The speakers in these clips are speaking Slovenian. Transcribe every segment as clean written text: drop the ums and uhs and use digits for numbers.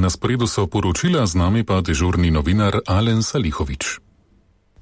Na sporedu so poročila, z nami pa dežurni novinar Alen Salihovič.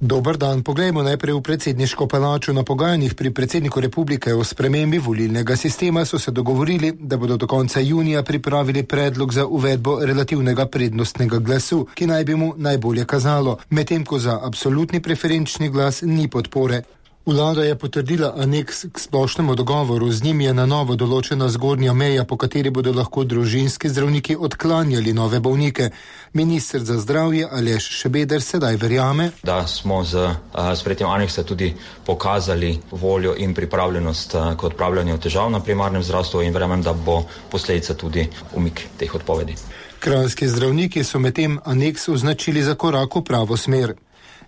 Dober dan, poglejmo najprej v predsedniško palačo. Na pogajanjih pri predsedniku republike o spremembi volilnega sistema so se dogovorili, da bodo do konca junija pripravili predlog za uvedbo relativnega prednostnega glasu, ki naj bi mu najbolje kazalo, medtem ko za absolutni preferenčni glas ni podpore. Vlada je potrdila aneks k splošnemu dogovoru, z njim je na novo določena zgornja meja, po kateri bodo lahko družinski zdravniki odklanjali nove bolnike. Minister za zdravje Aleš Šabeder sedaj verjame, da smo z sprejetjem aneksa tudi pokazali voljo in pripravljenost k odpravljanju težav na primarnem zdravstvu in verjamem, da bo posledica tudi umik teh odpovedi. Kranjski zdravniki so medtem aneks označili za korak v pravo smer.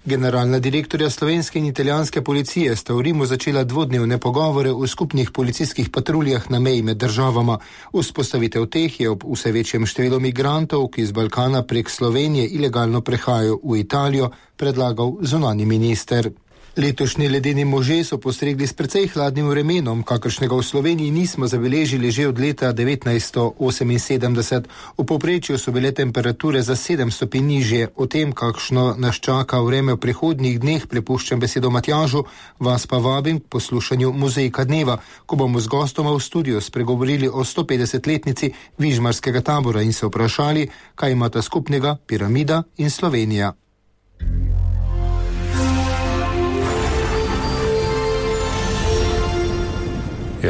Generalna direktorja slovenske in italijanske policije sta v Rimu začela dvodnevne pogovore o skupnih policijskih patruljah na meji med državama. Vzpostavitev teh je ob vse večjem številu migrantov, ki z Balkana prek Slovenije ilegalno prehajajo v Italijo, predlagal zunanji minister. Letošnji ledeni možje so postregli s precej hladnim vremenom, kakršnega v Sloveniji nismo zabeležili že od leta 1978. V povprečju so bile temperature za 7 stopinj nižje. O tem, kakšno nas čaka vreme v prihodnjih dneh, prepuščam besedo Matjažu, vas pa vabim k poslušanju Mozaika dneva, ko bomo z gostoma v studiu spregovorili o 150-letnici Vižmarskega tabora in se vprašali, kaj imata skupnega piramida in Slovenija.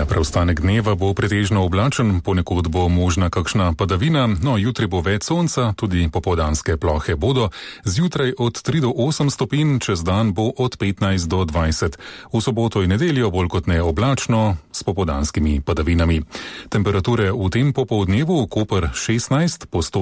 Preostanek dneva bo pretežno oblačen, ponekod bo možna kakšna padavina, no jutri bo več sonca, tudi popoldanske plohe bodo, zjutraj od 3 do 8 stopinj, čez dan bo od 15 do 20. V soboto in nedeljo bolj kot ne oblačno, s popoldanskimi padavinami. Temperature v tem popoldnevu: Koper 16, Postojna